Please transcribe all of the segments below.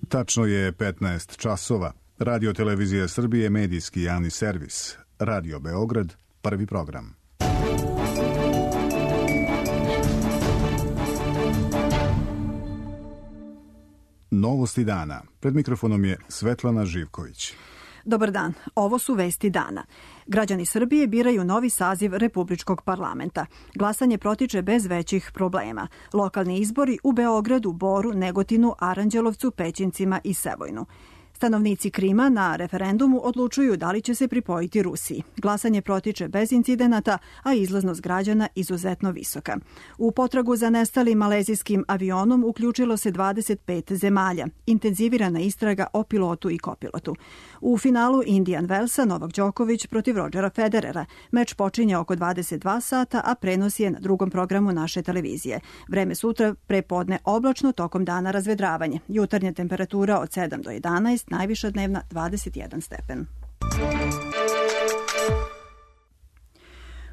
Tačno je 15 časova. Radio Televizija Srbije, medijski javni servis. Radio Beograd, prvi program. Novosti dana. Pred mikrofonom je Svetlana Živković. Dobar dan, ovo su vesti dana. Građani Srbije biraju novi saziv Republičkog parlamenta. Glasanje protiče bez većih problema. Lokalni izbori u Beogradu, Boru, Negotinu, Aranđelovcu, Pećincima i Sevojnu. Stanovnici Krima na referendumu odlučuju da li će se pripojiti Rusiji. Glasanje protiče bez incidenata, a izlaznost građana izuzetno visoka. U potragu za nestalim malezijskim avionom uključilo se 25 zemalja. Intenzivirana istraga o pilotu i kopilotu. U finalu Indian Wellsa Novak Đoković protiv Rodgera Federera. Meč počinje oko 22 sata, a prenos je na drugom programu naše televizije. Vreme sutra prepodne oblačno, tokom dana razvedravanje. Jutarnja temperatura od 7 do 11, najviša dnevna 21 stepen.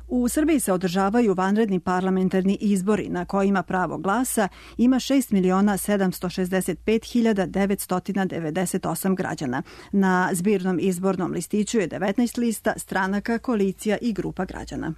U Srbiji se održavaju vanredni parlamentarni izbori na kojima pravo glasa ima 6.765.998 građana. Na zbirnom izbornom listiću je 19 lista, stranaka, koalicija i grupa građana.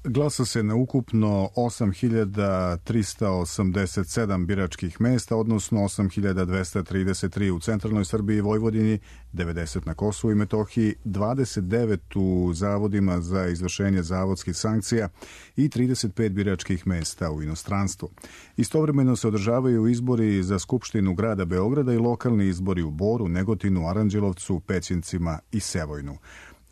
Glasa se na ukupno 8.387 biračkih mesta, odnosno 8.233 u centralnoj Srbiji i Vojvodini, 90 na Kosovu i Metohiji, 29 u zavodima za izvršenje zavodskih sankcija i 35 biračkih mesta u inostranstvu. Istovremeno se održavaju izbori za Skupštinu grada Beograda i lokalni izbori u Boru, Negotinu, Aranđelovcu, Pećincima i Sevojnu.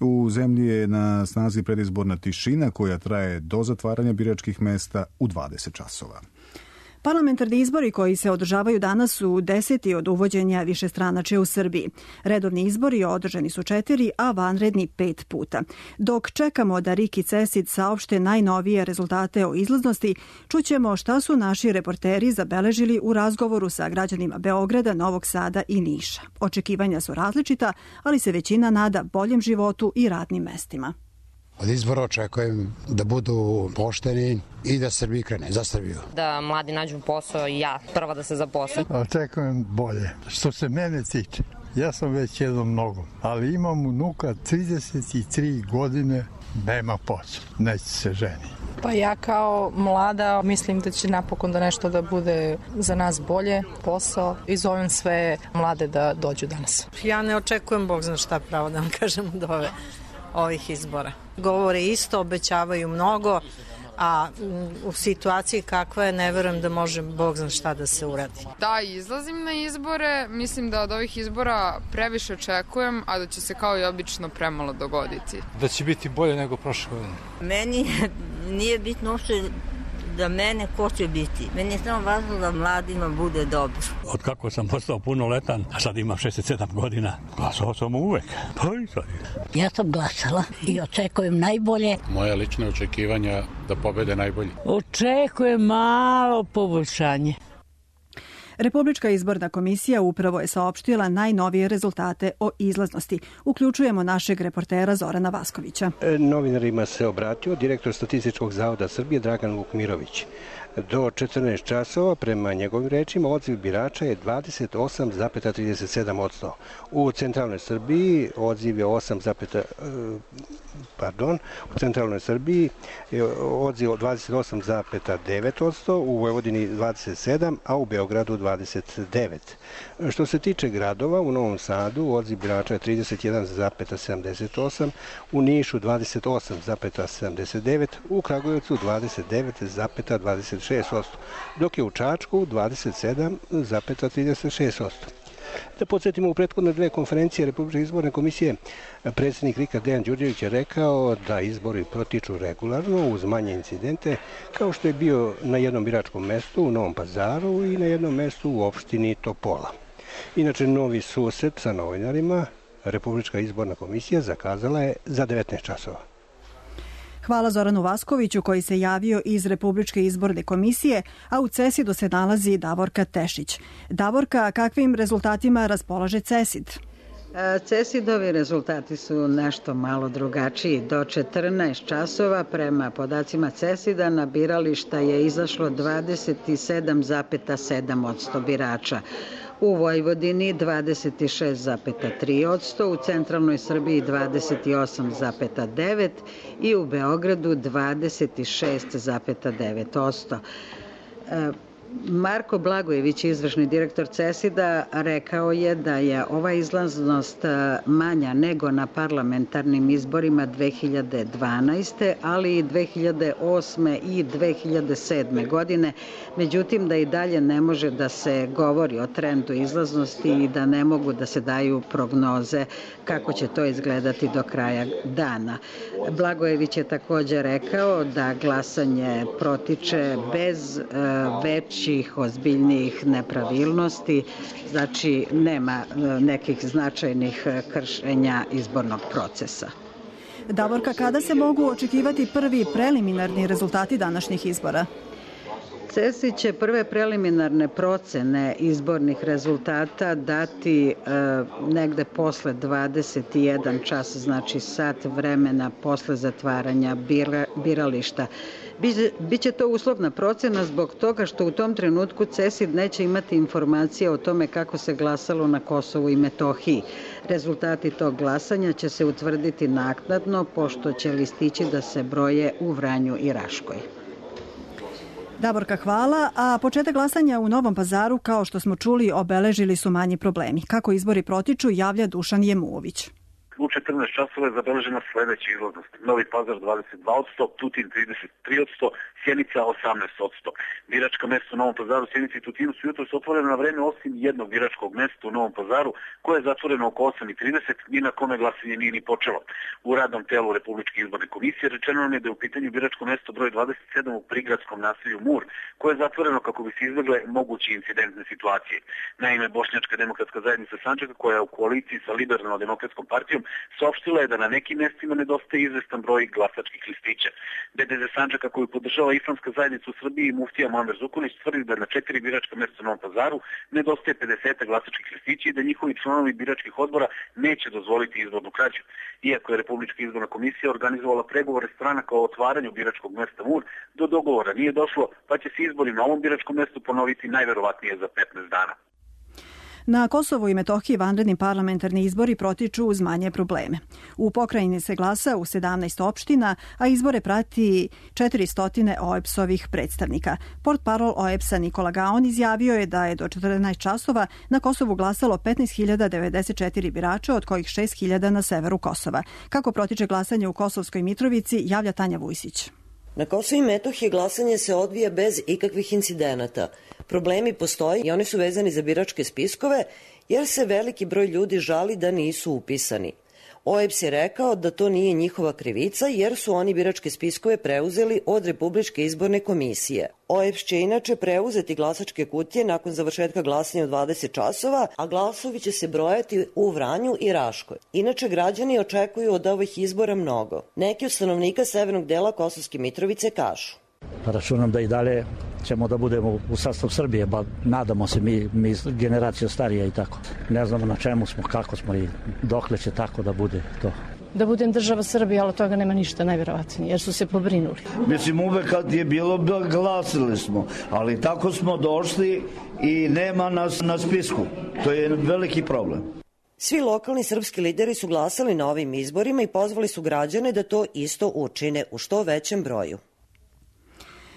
U zemlji je na snazi predizborna tišina koja traje do zatvaranja biračkih mesta u 20 časova. Parlamentarni izbori koji se održavaju danas su 10. od uvođenja višestranačja u Srbiji. Redovni izbori održani su 4, a vanredni 5 puta. Dok čekamo da RIK i CESID saopšte najnovije rezultate o izlaznosti, čućemo šta su naši reporteri zabeležili u razgovoru sa građanima Beograda, Novog Sada i Niša. Očekivanja su različita, ali se većina nada boljem životu i radnim mestima. Od izbora očekujem da budu pošteni i da Srbiji krene, za Srbiju. Da mladi nađu posao i ja prva da se zaposlim. Očekujem bolje. Što se mene tiče, ja sam već jednom nogom, ali imam unuka 33 godine, nema posla, neće se ženi. Pa ja kao mlada mislim da će napokon da nešto da bude za nas bolje, posao, i zovem sve mlade da dođu danas. Ja ne očekujem, Bog zna šta, pravo da vam kažem, od ovih izbora. Govore isto, obećavaju mnogo, a u situaciji kakva je ne verujem da može Bog zna šta da se uradi. Da, izlazim na izbore, mislim da od ovih izbora previše očekujem, a da će se kao i obično premalo dogoditi. Da će biti bolje nego prošle godine. Meni nije bitno uopšte da mene ko će biti. Meni je samo važno da mladima bude dobro. Od kako sam postao punoletan, a sad imam 67 godina, glasao sam uvek. Pa i sad. Ja sam glasala i očekujem najbolje. Moja lična očekivanja da pobede najbolji. Očekujem malo poboljšanje. Republička izborna komisija upravo je saopštila najnovije rezultate o izlaznosti. Uključujemo našeg reportera Zorana Vaskovića. Novinarima se obratio direktor Statističkog zavoda Srbije Dragan Vukmirović. Do 14 časova, prema njegovim rečima, odziv birača je 28,37%. U centralnoj Srbiji odziv je 28,9%, u Vojvodini 27%, a u Beogradu 29%. Što se tiče gradova, u Novom Sadu odziv birača je 31,78%, u Nišu 28,79%, u Kragujevcu 29,26%, dok je u Čačku 27,36%. Da podsjetimo, u prethodne dve konferencije Republičke izborne komisije predsjednik RIK-a Dejan Đurđević je rekao da izbori protiču regularno uz manje incidente, kao što je bio na jednom biračkom mestu u Novom Pazaru i na jednom mestu u opštini Topola. Inače, novi susret sa novinarima Republička izborna komisija zakazala je za 19 časova. Hvala Zoranu Vaskoviću koji se javio iz Republičke izborne komisije, a u CESID-u se nalazi Davorka Tešić. Davorka, kakvim rezultatima raspolaže CESID? CESID-ovi rezultati su nešto malo drugačiji. Do 14 časova prema podacima CESID-a na birališta je izašlo 27,7% birača. u Vojvodini 26,3%, u centralnoj Srbiji 28,9% i u Beogradu 26,9%. Marko Blagojević, izvršni direktor CESID-a, rekao je da je ova izlaznost manja nego na parlamentarnim izborima 2012. ali i 2008. i 2007. godine. Međutim, da i dalje ne može da se govori o trendu izlaznosti i da ne mogu da se daju prognoze kako će to izgledati do kraja dana. Blagojević je također rekao da glasanje protiče bez većih ozbiljnijih nepravilnosti, znači nema nekih značajnih kršenja izbornog procesa. Davorka, kada se mogu očekivati prvi preliminarni rezultati današnjih izbora? CESID će prve preliminarne procene izbornih rezultata dati negde posle 21 čas, znači sat vremena posle zatvaranja birališta. Biće to uslovna procena zbog toga što u tom trenutku CESID neće imati informacije o tome kako se glasalo na Kosovu i Metohiji. Rezultati tog glasanja će se utvrditi naknadno, pošto će listići da se broje u Vranju i Raškoj. Davorka, hvala. A početak glasanja u Novom Pazaru, kao što smo čuli, obeležili su manji problemi. Kako izbori protiču, javlja Dušan Jemuović. U 14 časova je zabeležena sledeća izlaznost. Novi Pazar 22%, Tutin 33%, Sjenica 18%. Biračka mesta u Novom Pazaru, Sjenici i Tutinu su jutros otvorene na vreme osim jednog biračkog mesta u Novom Pazaru, koje je zatvoreno oko 8:30 i na kome glasanje nije ni počelo. U radnom telu Republičke izborne komisije rečeno nam je da je u pitanju biračko mesto broj 27 u prigradskom naselju Mur, koje je zatvoreno kako bi se izbegle moguće incidentne situacije. Naime, Bošnjačka demokratska zajednica Sandžaka, koja je u koaliciji sa Liberalno-demokratskom partijom, saopštila je da na nekim mestima nedostaje izvestan broj glasačkih listića. BDZ Sandžaka, koju podržava Islamska zajednica u Srbiji i muftija Muamer Zukorlić, tvrdi da na 4 biračka mesta u Novom Pazaru nedostaje 50 glasačkih listića i da njihovi članovi biračkih odbora neće dozvoliti izbornu krađu. Iako je Republička izborna komisija organizovala pregovore stranaka o otvaranju biračkog mesta Mur, do dogovora nije došlo, pa će se izbori na ovom biračkom mestu ponoviti najverovatnije za 15 dana. Na Kosovu i Metohiji vanredni parlamentarni izbori protiču uz manje probleme. U pokrajini se glasa u 17 opština, a izbore prati 400 OEBS-ovih predstavnika. Portparol OEBS-a Nikola Gaon izjavio je da je do 14 časova na Kosovu glasalo 15.094 birača, od kojih 6.000 na severu Kosova. Kako protiče glasanje u Kosovskoj Mitrovici, javlja Tanja Vujsić. Na Kosovu i Metohiji glasanje se odvija bez ikakvih incidenata. Problemi postoji i oni su vezani za biračke spiskove, jer se veliki broj ljudi žali da nisu upisani. OEBS je rekao da to nije njihova krivica, jer su oni biračke spiskove preuzeli od Republičke izborne komisije. OEBS će inače preuzeti glasačke kutije nakon završetka glasanja u 20 časova, a glasovi će se brojati u Vranju i Raškoj. Inače, građani očekuju od ovih izbora mnogo. Neki od stanovnika severnog dela Kosovske Mitrovice kažu: Računam da i dalje ćemo da budemo u sastavu Srbije, ba nadamo se mi generacija starija i tako. Ne znamo na čemu smo, kako smo i dokle će tako da bude to. Da budem država Srbija, ali od toga nema ništa najverovatnije, jer su se pobrinuli. Mislim, uvek kad je bilo, glasili smo, ali tako smo došli i nema nas na spisku. To je veliki problem. Svi lokalni srpski lideri su glasali na ovim izborima i pozvali su građane da to isto učine u što većem broju.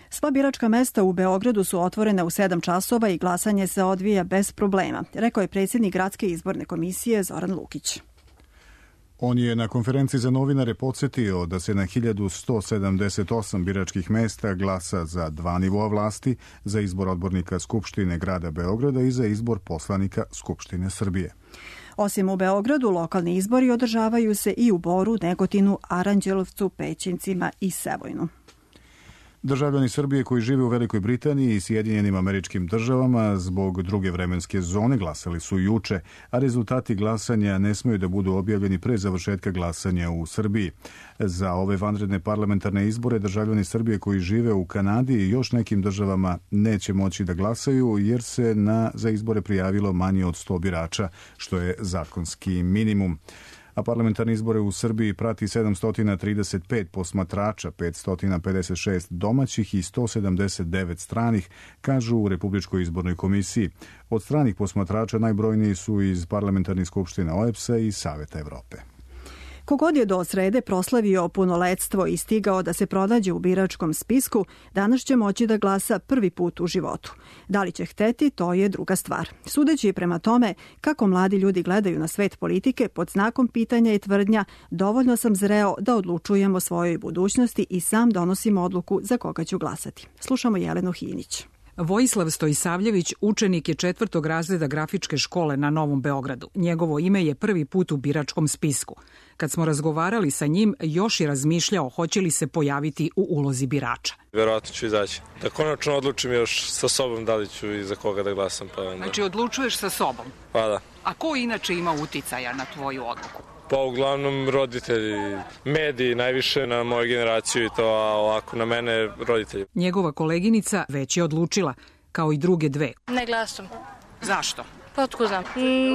Sva biračka mesta u Beogradu su otvorene u 7 časova i glasanje se odvija bez problema, rekao je predsjednik Gradske izborne komisije Zoran Lukić. On je na konferenciji za novinare podsjetio da se na 1178 biračkih mesta glasa za 2 nivoa vlasti, za izbor odbornika Skupštine grada Beograda i za izbor poslanika Skupštine Srbije. Osim u Beogradu, lokalni izbori održavaju se i u Boru, Negotinu, Aranđelovcu, Pećincima i Sevojnu. Državljani Srbije koji žive u Velikoj Britaniji i Sjedinjenim Američkim Državama zbog druge vremenske zone glasali su juče, a rezultati glasanja ne smeju da budu objavljeni pre završetka glasanja u Srbiji. Za ove vanredne parlamentarne izbore državljani Srbije koji žive u Kanadi i još nekim državama neće moći da glasaju jer se za izbore prijavilo manje od 100 birača, što je zakonski minimum. a parlamentarne izbore u Srbiji prati 735 posmatrača, 556 domaćih i 179 stranih, kažu u Republičkoj izbornoj komisiji. Od stranih posmatrača najbrojniji su iz parlamentarnih skupština OEBS-a i Saveta Evrope. Kogod je do srede proslavio punoletstvo i stigao da se pronađe u biračkom spisku, danas će moći da glasa prvi put u životu. Da li će hteti, to je druga stvar. Sudeći prema tome kako mladi ljudi gledaju na svet politike, pod znakom pitanja i tvrdnja, dovoljno sam zreo da odlučujem o svojoj budućnosti i sam donosim odluku za koga ću glasati. Slušamo Jelenu Hinić. Vojislav Stojisavljević učenik je 4. razreda grafičke škole na Novom Beogradu. Njegovo ime je prvi put u biračkom spisku. Kad smo razgovarali sa njim, još je razmišljao hoće li se pojaviti u ulozi birača. Verovatno ću izaći. Da konačno odlučim još sa sobom da li ću i za koga da glasam. Pa onda... Znači odlučuješ sa sobom? Pa da. A ko inače ima uticaja na tvoju odluku? Pa uglavnom roditelji, mediji najviše na moju generaciju i to, a ovako na mene roditelji. Njegova koleginica već je odlučila, kao i druge dve. Ne glasam. Zašto? Pa otkud znam.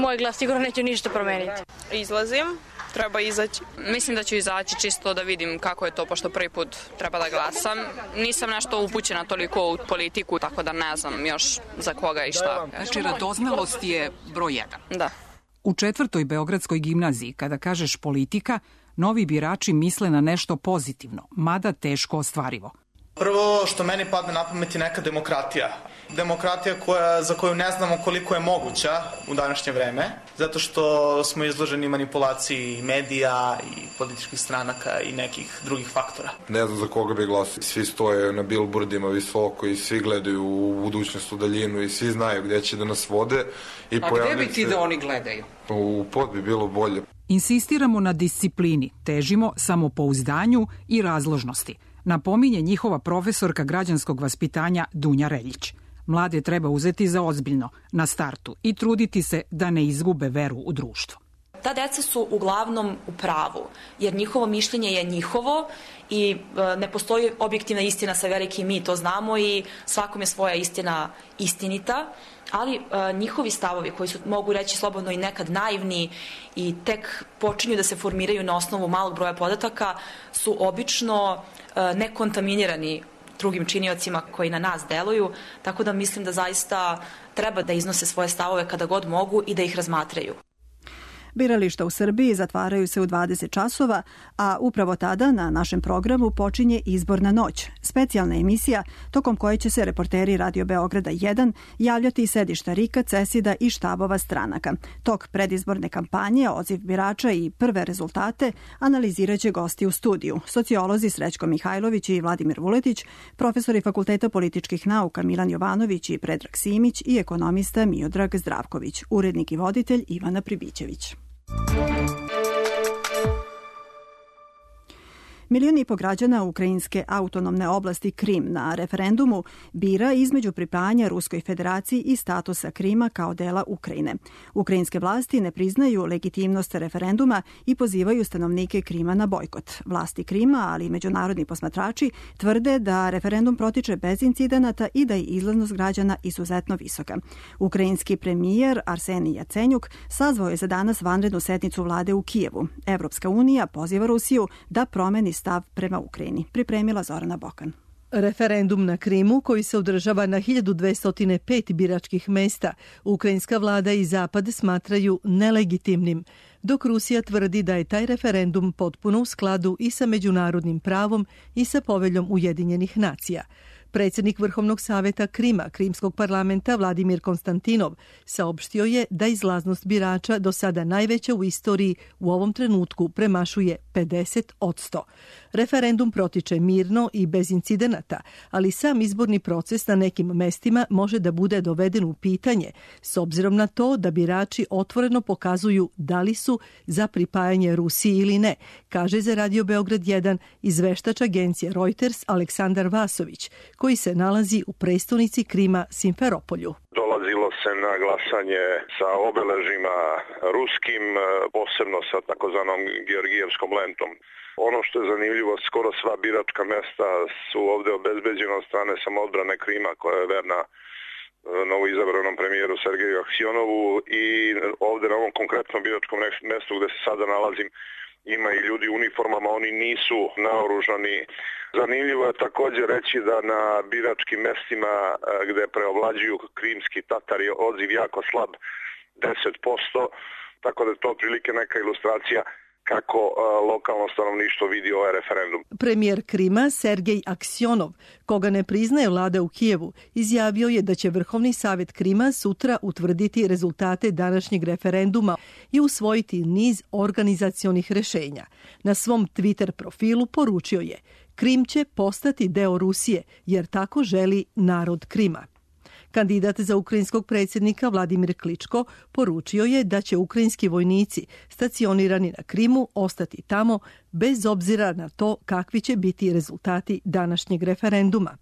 Moj glas sigurno neće ništa promeniti. Izlazim, treba izaći. Mislim da ću izaći čisto da vidim kako je to, pošto prvi put treba da glasam. Nisam nešto upućena toliko u politiku, tako da ne znam još za koga i šta. Znači radoznalost je broj 1. Da. U 4. Beogradskoj gimnaziji, kada kažeš politika, novi birači misle na nešto pozitivno, mada teško ostvarivo. Prvo što meni padne na pamet je neka demokratija. Demokratija za koju ne znamo koliko je moguća u današnje vreme, zato što smo izloženi manipulaciji medija i političkih stranaka i nekih drugih faktora. Ne znam za koga bi glasio. Svi stoje na bilbordima visoko i svi gledaju u budućnost, u daljinu i svi znaju gdje će da nas vode. A gdje bi ti da oni gledaju? U pod bi bilo bolje. Insistiramo na disciplini, težimo samopouzdanju i razložnosti. Napominje njihova profesorka građanskog vaspitanja Dunja Reljić. Mlade treba uzeti za ozbiljno na startu i truditi se da ne izgube veru u društvo. Ta deca su uglavnom u pravu, jer njihovo mišljenje je njihovo i ne postoji objektivna istina sa velikim mi, to znamo i svakom je svoja istina istinita, ali njihovi stavovi koji su, mogu reći slobodno, i nekad naivni i tek počinju da se formiraju na osnovu malog broja podataka, su obično nekontaminirani drugim činiocima koji na nas deluju, tako da mislim da zaista treba da iznose svoje stavove kada god mogu i da ih razmatraju. Birališta u Srbiji zatvaraju se u 20 časova, a upravo tada na našem programu počinje Izborna noć, specijalna emisija tokom koje će se reporteri Radio Beograda 1 javljati iz sedišta RIK-a, CESID-a i štabova stranaka. Tok predizborne kampanje, odziv birača i prve rezultate analiziraće gosti u studiju. Sociolozi Srećko Mihajlović i Vladimir Vuletić, profesori Fakulteta političkih nauka Milan Jovanović i Predrag Simić i ekonomista Miodrag Zdravković, urednik i voditelj Ivana Pribićević. 1,5 miliona građana ukrajinske autonomne oblasti Krim na referendumu bira između pripajanja Ruskoj federaciji i statusa Krima kao dela Ukrajine. Ukrajinske vlasti ne priznaju legitimnost referenduma i pozivaju stanovnike Krima na bojkot. Vlasti Krima, ali i međunarodni posmatrači, tvrde da referendum protiče bez incidenata i da je izlaznost građana izuzetno visoka. Ukrajinski premijer Arsenij Jacenjuk sazvao je za danas vanrednu sednicu vlade u Kijevu. Evropska unija poziva Rusiju da promeni stav prema Ukrajini. Pripremila Zorana Bokan. Referendum na Krimu, koji se održava na 1205 biračkih mesta, ukrajinska vlada i Zapad smatraju nelegitimnim, dok Rusija tvrdi da je taj referendum potpuno u skladu i sa međunarodnim pravom i sa poveljom Ujedinjenih nacija. Predsjednik Vrhovnog saveta Krima, Krimskog parlamenta Vladimir Konstantinov, saopštio je da izlaznost birača, do sada najveća u istoriji, u ovom trenutku premašuje 50%. Referendum protiče mirno i bez incidenata, ali sam izborni proces na nekim mestima može da bude doveden u pitanje, s obzirom na to da birači otvoreno pokazuju da li su za pripajanje Rusiji ili ne, kaže za Radio Beograd 1 izveštač agencije Reuters Aleksandar Vasović, koji se nalazi u prestonici Krima Simferopolju. Dolazilo se na glasanje sa obeležima ruskim, posebno sa takozvanom Georgijevskom lentom. Ono što je zanimljivo, skoro sva biračka mesta su ovdje obezbeđena od strane samoodbrane Krima, koja je verna novoizabranom premijeru Sergeju Aksionovu i ovde na ovom konkretnom biračkom mestu gde se sada nalazim ima i ljudi u uniformama, oni nisu naoružani. Zanimljivo je takođe reći da na biračkim mestima gde preovlađuju krimski Tatari je odziv jako slab, 10%, tako da je to otprilike neka ilustracija kako lokalno stanovništvo vidi ovaj referendum. Premijer Krima Sergej Aksionov, koga ne priznaje vlada u Kijevu, izjavio je da će Vrhovni savjet Krima sutra utvrditi rezultate današnjeg referenduma i usvojiti niz organizacionih rešenja. Na svom Twitter profilu poručio je: Krim će postati deo Rusije jer tako želi narod Krima. Kandidat za ukrajinskog predsjednika Vladimir Kličko poručio je da će ukrajinski vojnici stacionirani na Krimu ostati tamo bez obzira na to kakvi će biti rezultati današnjeg referenduma.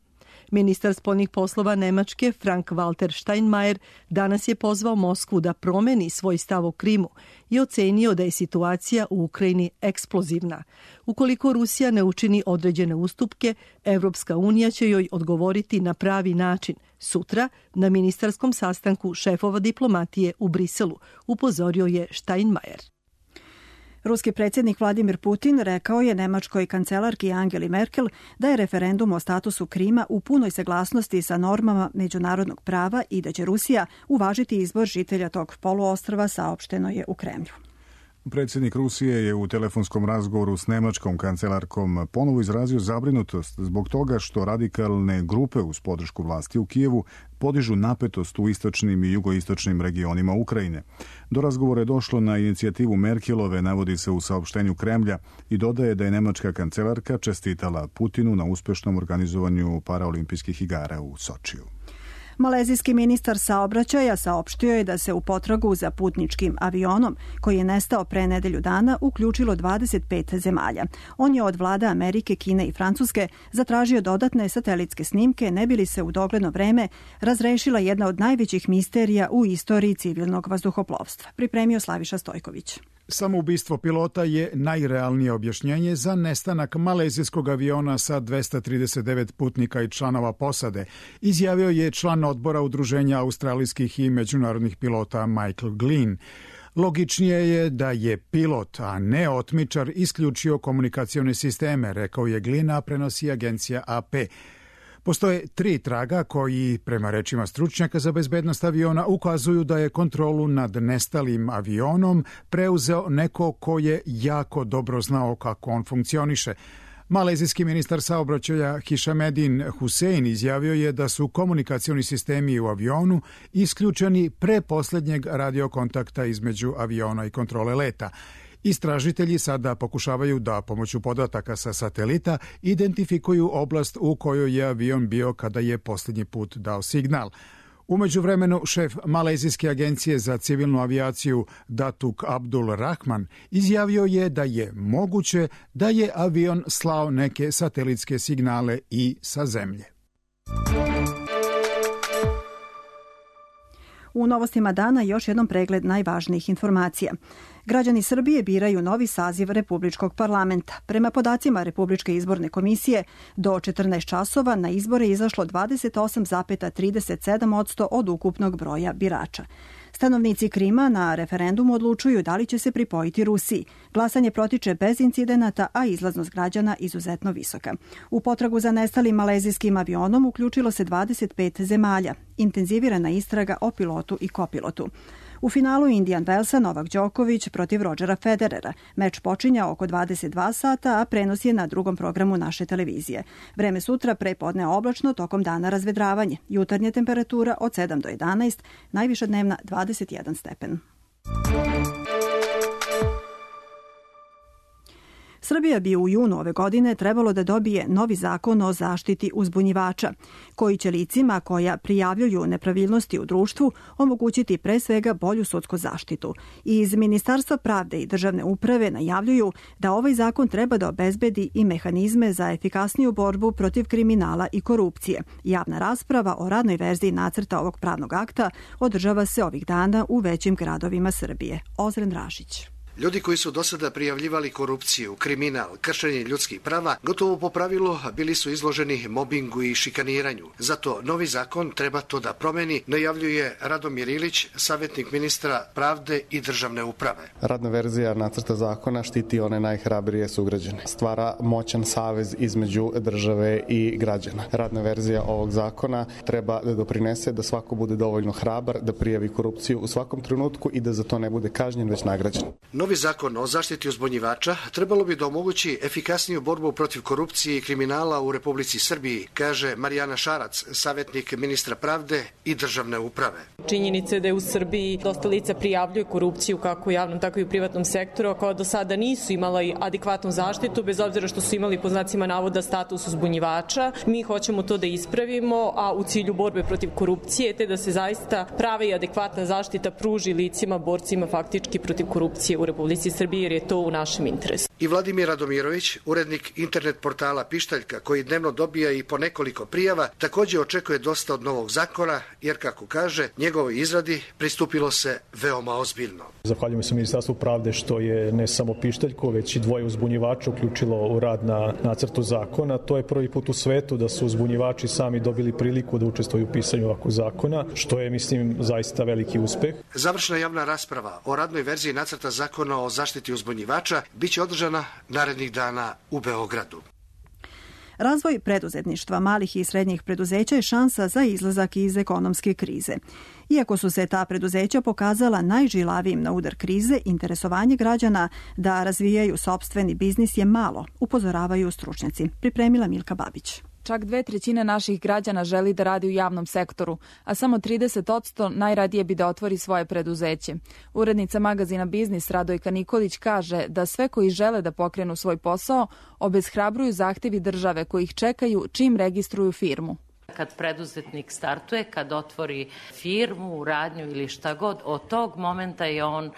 Ministar spoljnih poslova Nemačke Frank-Walter Steinmeier danas je pozvao Moskvu da promeni svoj stav o Krimu i ocenio da je situacija u Ukrajini eksplozivna. Ukoliko Rusija ne učini određene ustupke, Evropska unija će joj odgovoriti na pravi način sutra na ministarskom sastanku šefova diplomatije u Briselu, upozorio je Steinmeier. Ruski predsjednik Vladimir Putin rekao je nemačkoj kancelarki Angeli Merkel da je referendum o statusu Krima u punoj saglasnosti sa normama međunarodnog prava i da će Rusija uvažiti izbor žitelja tog poluostrva, saopšteno je u Kremlju. Predsjednik Rusije je u telefonskom razgovoru s nemačkom kancelarkom ponovo izrazio zabrinutost zbog toga što radikalne grupe uz podršku vlasti u Kijevu podižu napetost u istočnim i jugoistočnim regionima Ukrajine. Do razgovora je došlo na inicijativu Merkelove, navodi se u saopštenju Kremlja, i dodaje da je nemačka kancelarka čestitala Putinu na uspešnom organizovanju paraolimpijskih igara u Sočiju. Malezijski ministar saobraćaja saopštio je da se u potragu za putničkim avionom, koji je nestao pre nedelju dana, uključilo 25 zemalja. On je od vlada Amerike, Kine i Francuske zatražio dodatne satelitske snimke, ne bi li se u dogledno vreme razrešila jedna od najvećih misterija u istoriji civilnog vazduhoplovstva. Pripremio Slaviša Stojković. Samoubistvo pilota je najrealnije objašnjenje za nestanak malezijskog aviona sa 239 putnika i članova posade, izjavio je član odbora Udruženja australijskih i međunarodnih pilota Michael Glynn. Logičnije je da je pilot, a ne otmičar, isključio komunikacione sisteme, rekao je Glynn, a prenosi agencija AP. Postoje 3 traga koji, prema rečima stručnjaka za bezbednost aviona, ukazuju da je kontrolu nad nestalim avionom preuzeo neko ko je jako dobro znao kako on funkcioniše. Malezijski ministar saobraćaja Hishamedin Hussein izjavio je da su komunikacioni sistemi u avionu isključeni pre poslednjeg radiokontakta između aviona i kontrole leta. Istražitelji sada pokušavaju da pomoću podataka sa satelita identifikuju oblast u kojoj je avion bio kada je posljednji put dao signal. U međuvremenu šef Malezijske agencije za civilnu avijaciju Datuk Abdul Rahman izjavio je da je moguće da je avion slao neke satelitske signale i sa zemlje. U novostima dana još jednom pregled najvažnijih informacija. Građani Srbije biraju novi saziv Republičkog parlamenta. Prema podacima Republičke izborne komisije, do 14 časova na izbore je izašlo 28,37% od ukupnog broja birača. Stanovnici Krima na referendumu odlučuju da li će se pripojiti Rusiji. Glasanje protiče bez incidenata, a izlaznost građana izuzetno visoka. U potragu za nestalim malezijskim avionom uključilo se 25 zemalja. Intenzivirana istraga o pilotu i kopilotu. U finalu Indian Wellsa Novak Đoković protiv Rodgera Federera. Meč počinja oko 22 sata, a prenos je na drugom programu naše televizije. Vreme sutra prepodne oblačno, tokom dana razvedravanje. Jutarnja temperatura od 7 do 11, najviša dnevna 21 stepen. Srbija bi u junu ove godine trebalo da dobije novi zakon o zaštiti uzbunjivača, koji će licima koja prijavljuju nepravilnosti u društvu omogućiti pre svega bolju sudsku zaštitu. Iz Ministarstva pravde i državne uprave najavljuju da ovaj zakon treba da obezbedi i mehanizme za efikasniju borbu protiv kriminala i korupcije. Javna rasprava o radnoj verziji nacrta ovog pravnog akta održava se ovih dana u većim gradovima Srbije. Ozren Rašić. Ljudi koji su do sada prijavljivali korupciju, kriminal, kršenje ljudskih prava, gotovo po pravilu bili su izloženi mobingu i šikaniranju. Zato novi zakon treba to da promeni, najavljuje Radomir Ilić, savjetnik ministra pravde i državne uprave. Radna verzija nacrta zakona štiti one najhrabrije sugrađane. Stvara moćan savez između države i građana. Radna verzija ovog zakona treba da doprinese da svako bude dovoljno hrabar, da prijavi korupciju u svakom trenutku i da za to ne bude kažnjen, već nagrađen. Novi zakon o zaštiti uzbunjivača trebalo bi da omogući efikasniju borbu protiv korupcije i kriminala u Republici Srbiji, kaže Marijana Šarac, savjetnik ministra pravde i državne uprave. Činjenica je da je u Srbiji dosta lica prijavljuje korupciju kako u javnom, tako i u privatnom sektoru, a koja do sada nisu imala adekvatnu zaštitu, bez obzira što su imali po znacima navoda status uzbunjivača. Mi hoćemo to da ispravimo, a u cilju borbe protiv korupcije, te da se zaista prava i adekvatna zaštita pruži licima, borcima faktički protiv korupcije u Republici Srbiji, jer je to u našem interesu. I Vladimir Radomirović, urednik internet portala Pištaljka, koji dnevno dobija i po nekoliko prijava, također očekuje dosta od novog zakona, jer kako kaže, njegovoj izradi pristupilo se veoma ozbiljno. Zahvaljujem se Ministarstvu pravde što je ne samo Pištaljku, već i dvoje uzbunjivača uključilo u rad na nacrtu zakona. To je prvi put u svetu da su uzbunjivači sami dobili priliku da učestvuju u pisanju ovakvog zakona, što je, mislim, zaista veliki uspeh. Završna javna rasprava o radnoj verziji nacrta zakona o zaštiti uzbunjivača biće održana narednih dana u Beogradu. Razvoj preduzetništva malih i srednjih preduzeća je šansa za izlazak iz ekonomske krize. Iako su se ta preduzeća pokazala najžilavijim na udar krize, interesovanje građana da razvijaju sopstveni biznis je malo, upozoravaju stručnjaci. Pripremila Milka Babić. Čak 2/3 naših građana želi da radi u javnom sektoru, a samo 30% najradije bi da otvori svoje preduzeće. Urednica magazina Biznis Radojka Nikolić kaže da sve koji žele da pokrenu svoj posao obeshrabruju zahtevi države koji ih čekaju čim registruju firmu. Kad preduzetnik startuje, kad otvori firmu, radnju ili šta god, od tog momenta je on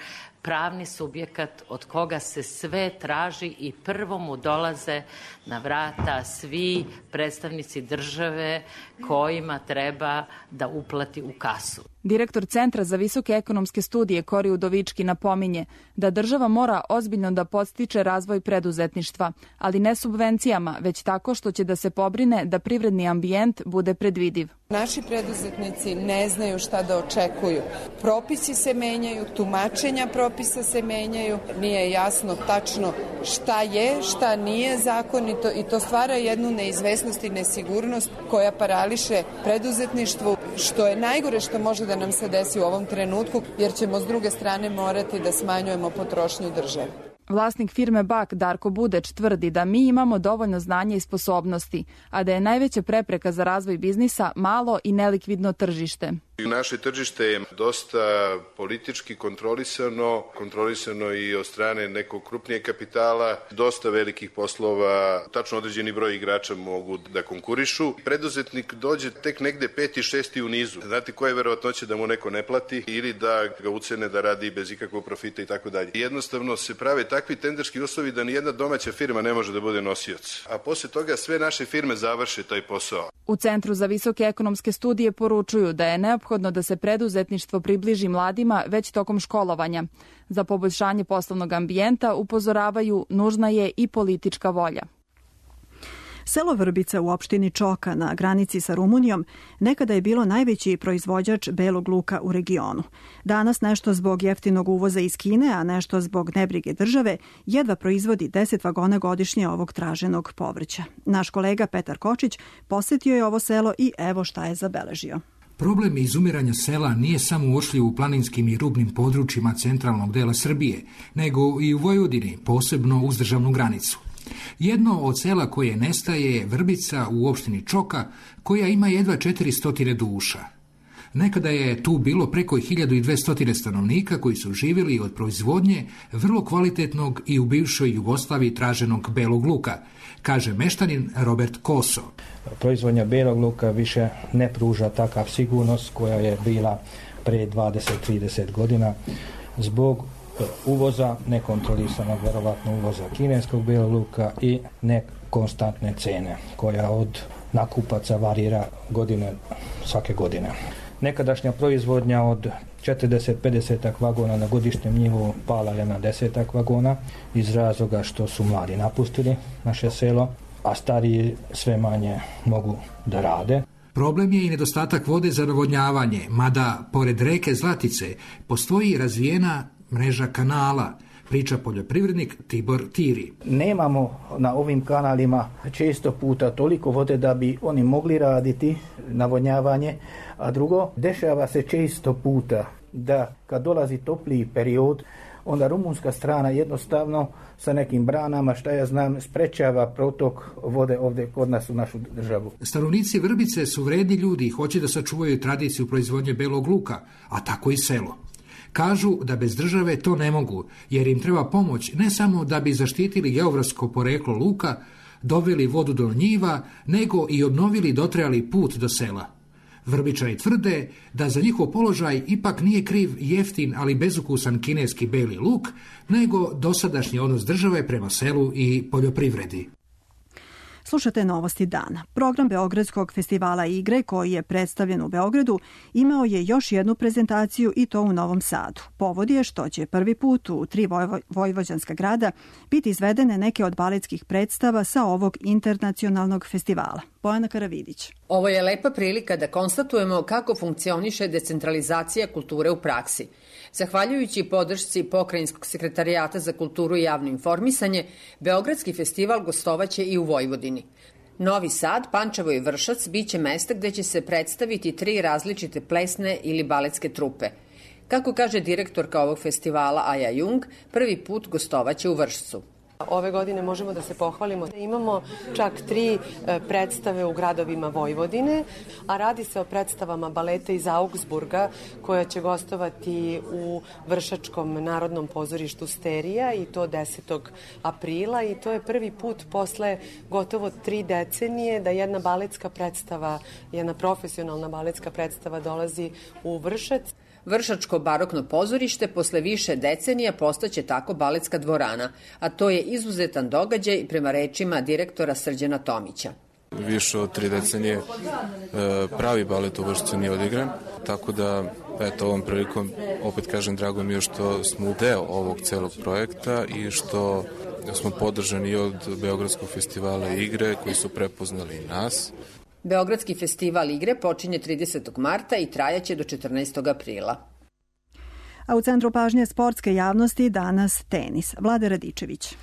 pravni subjekat od koga se sve traži i prvo mu dolaze na vrata svi predstavnici države kojima treba da uplati u kasu. Direktor Centra za visoke ekonomske studije Kori Udovički napominje da država mora ozbiljno da podstiče razvoj preduzetništva, ali ne subvencijama, već tako što će da se pobrine da privredni ambijent bude predvidiv. Naši preduzetnici ne znaju šta da očekuju. Propisi se menjaju, tumačenja propisa se menjaju, nije jasno tačno šta je, šta nije zakonito i to stvara jednu neizvesnost i nesigurnost koja parališe preduzetništvo, što je najgore što može da nam se desi u ovom trenutku, jer ćemo s druge strane morati da smanjujemo potrošnju države. Vlasnik firme BAK Darko Budeć tvrdi da mi imamo dovoljno znanja i sposobnosti, a da je najveća prepreka za razvoj biznisa malo i nelikvidno tržište. Naše tržište je dosta politički kontrolisano i od strane nekog krupnijeg kapitala, dosta velikih poslova, tačno određeni broj igrača mogu da konkurišu. Preduzetnik dođe tek negde 5. 6. u nizu. Znate koja je verovatnoća da mu neko ne plati ili da ga ucene da radi bez ikakvog profita i tako dalje. Jednostavno se prave takvi tenderski uslovi da nijedna domaća firma ne može da bude nosioc. A posle toga sve naše firme završe taj posao. U Centru za visoke ekonomske studije poručuju da je neophodno da se preduzetništvo približi mladima već tokom školovanja. Za poboljšanje poslovnog ambijenta upozoravaju nužna je i politička volja. Selo Vrbica u opštini Čoka na granici sa Rumunijom nekada je bilo najveći proizvođač belog luka u regionu. Danas nešto zbog jeftinog uvoza iz Kine, a nešto zbog nebrige države, jedva proizvodi 10 vagona godišnje ovog traženog povrća. Naš kolega Petar Kočić posjetio je ovo selo i evo šta je zabeležio. Problem izumiranja sela nije samo uočljiv u planinskim i rubnim područjima centralnog dela Srbije, nego i u Vojvodini, posebno uz državnu granicu. Jedno od sela koje nestaje je Vrbica u opštini Čoka, koja ima jedva 400 duša. Nekada je tu bilo preko 1200 stanovnika koji su živjeli od proizvodnje vrlo kvalitetnog i u bivšoj Jugoslaviji traženog belog luka, kaže meštanin Robert Koso. Proizvodnja belog luka više ne pruža takav sigurnost koja je bila pre 20-30 godina zbog uvoza, nekontrolisanog verovatno uvoza kineskog belog luka i nekonstantne cene koja od nakupaca varira svake godine. Nekadašnja proizvodnja od 40-50 vagona na godišnjem nivou pala je na 10 vagona iz razloga što su mladi napustili naše selo, a stariji sve manje mogu da rade. Problem je i nedostatak vode za navodnjavanje, mada pored reke Zlatice postoji razvijena mreža kanala, priča poljoprivrednik Tibor Tiri. Nemamo na ovim kanalima često puta toliko vode da bi oni mogli raditi navodnjavanje, a drugo, dešava se često puta da kad dolazi topliji period, onda rumunska strana jednostavno sa nekim branama, šta ja znam, sprečava protok vode ovdje kod nas u našu državu. Stanovnici Vrbice su vredni ljudi i hoće da sačuvaju tradiciju proizvodnje belog luka, a tako i selo. Kažu da bez države to ne mogu, jer im treba pomoć ne samo da bi zaštitili geografsko poreklo luka, doveli vodu do njiva, nego i obnovili dotrajali put do sela. Vrbičani tvrde da za njihov položaj ipak nije kriv jeftin, ali bezukusan kineski beli luk, nego dosadašnji odnos države prema selu i poljoprivredi. Slušate Novosti dana. Program Beogradskog festivala igre koji je predstavljen u Beogradu imao je još jednu prezentaciju i to u Novom Sadu. Povod je što će prvi put u 3 vojvođanska grada biti izvedene neke od baletskih predstava sa ovog internacionalnog festivala. Bojana Karavidić. Ovo je lepa prilika da konstatujemo kako funkcioniše decentralizacija kulture u praksi. Zahvaljujući podršci Pokrajinskog sekretarijata za kulturu i javno informisanje, Beogradski festival gostovaće i u Vojvodini. Novi Sad, Pančevo i Vršac biće mesta gde će se predstaviti 3 različite plesne ili baletske trupe. Kako kaže direktorka ovog festivala Aja Jung, prvi put gostovaće u Vršcu. Ove godine možemo da se pohvalimo. Imamo čak 3 predstave u gradovima Vojvodine, a radi se o predstavama baleta iz Augsburga koja će gostovati u Vršačkom narodnom pozorištu Sterija i to 10. aprila i to je prvi put posle gotovo 3 decenije da jedna baletska predstava, jedna profesionalna baletska predstava dolazi u Vršac. Vršačko barokno pozorište posle više decenija postaće tako baletska dvorana, a to je izuzetan događaj prema rečima direktora Srđana Tomića. Više od 3 decenije pravi balet u Vršcu nije odigran, tako da ovom prilikom opet kažem drago mi je što smo deo ovog celog projekta i što smo podržani od Beogradskog festivala igre koji su prepoznali i nas. Beogradski festival igre počinje 30. marta i trajaće do 14. aprila. A u centru pažnje sportske javnosti danas tenis. Vlade Radičević.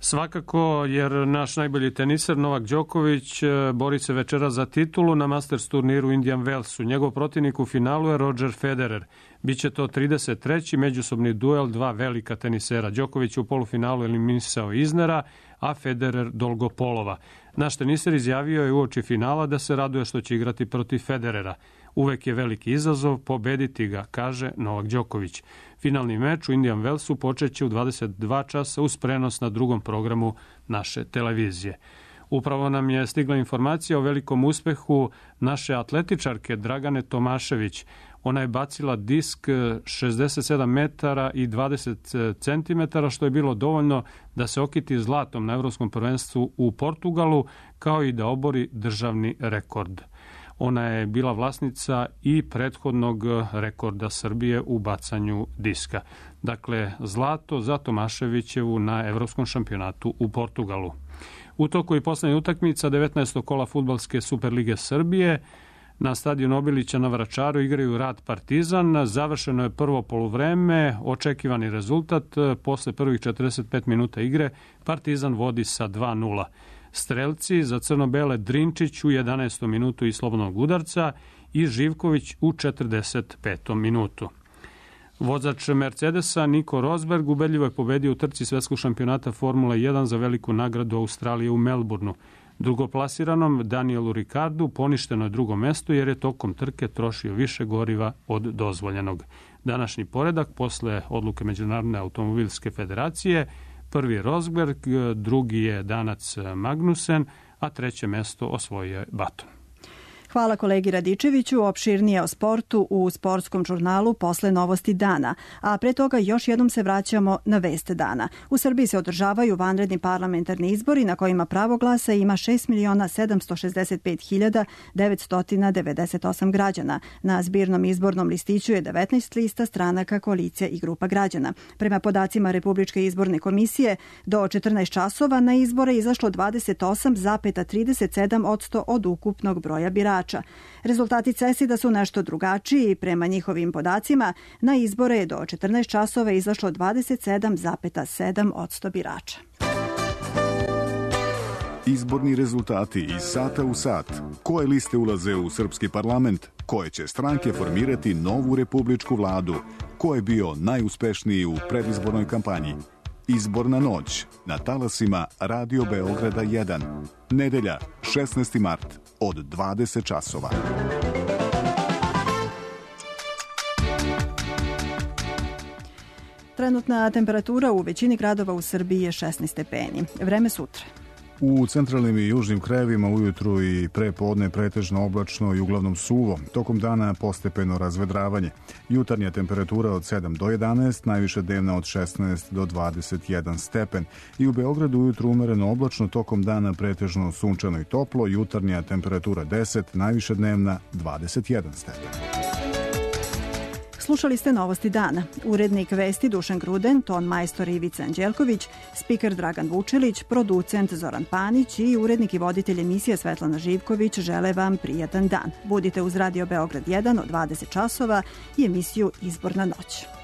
Svakako, jer naš najbolji teniser Novak Đoković bori se večera za titulu na Masters turniru u Indian Wellsu. Njegov protivnik u finalu je Roger Federer. Biće to 33. međusobni duel 2 velika tenisera. Đoković u polufinalu eliminisao Iznera, a Federer Dolgopolova. Naš teniser izjavio je uoči finala da se raduje što će igrati protiv Federera. Uvek je veliki izazov pobediti ga, kaže Novak Đoković. Finalni meč u Indian Wellsu počeće u 22 časa uz prenos na drugom programu naše televizije. Upravo nam je stigla informacija o velikom uspehu naše atletičarke Dragane Tomašević. Ona je bacila disk 67 metara i 20 centimetara, što je bilo dovoljno da se okiti zlatom na Evropskom prvenstvu u Portugalu, kao i da obori državni rekord. Ona je bila vlasnica i prethodnog rekorda Srbije u bacanju diska. Dakle, zlato za Tomaševićevu na Evropskom šampionatu u Portugalu. U toku i poslednja utakmica 19. kola fudbalske Superlige Srbije na stadionu Obilića na Vračaru igraju Rad Partizan. Završeno je prvo poluvreme, očekivani rezultat. Posle prvih 45 minuta igre Partizan vodi sa 2:0. Strelci za crno-bele Drinčić u 11. minutu iz slobodnog udarca i Živković u 45. minutu. Vozač Mercedesa Nico Rosberg ubedljivo je pobedio u trci svetskog šampionata Formula 1 za veliku nagradu Australije u Melbourneu. Drugoplasiranom Danielu Ricardu poništeno je drugo mesto jer je tokom trke trošio više goriva od dozvoljenog. Današnji poredak posle odluke Međunarodne automobilske federacije: prvi je Rosberg, drugi je Danac Magnussen, a treće mesto osvojio je Button. Hvala kolegi Radičeviću. Opširnije o sportu u sportskom žurnalu posle novosti dana. A pre toga još jednom se vraćamo na vest dana. U Srbiji se održavaju vanredni parlamentarni izbori na kojima pravo glasa ima 6.765.998 građana. Na zbirnom izbornom listiću je 19 lista stranaka, koalicija i grupa građana. Prema podacima Republičke izborne komisije, do 14 časova na izbore izašlo 28,37% od ukupnog broja birača. Rezultati CESID-a su nešto drugačiji i prema njihovim podacima na izbore je do 14 časova izašlo 27,7% birača. Izborni rezultati iz sata u sat. Koje liste ulaze u srpski parlament? Koje će stranke formirati novu republičku vladu? Ko je bio najuspešniji u predizbornoj kampanji? Izborna noć na talasima Radio Beograda 1. Nedelja, 16. mart od 20 časova. Trenutna temperatura u većini gradova u Srbiji je 16 stepeni. Vreme sutra. U centralnim i južnim krajevima ujutru i pre podne pretežno oblačno i uglavnom suvo. Tokom dana postepeno razvedravanje. Jutarnja temperatura od 7 do 11, najviše dnevna od 16 do 21 stepen. I u Beogradu ujutru umereno oblačno, tokom dana pretežno sunčano i toplo. Jutarnja temperatura 10, najviše dnevna 21 stepen. Slušali ste novosti dana. Urednik vesti Dušan Gruden, ton majstor Ivica Anđelković, spiker Dragan Vučilić, producent Zoran Panić i urednik i voditelj emisije Svetlana Živković žele vam prijatan dan. Budite uz Radio Beograd 1 od 20 časova i emisiju Izborna noć.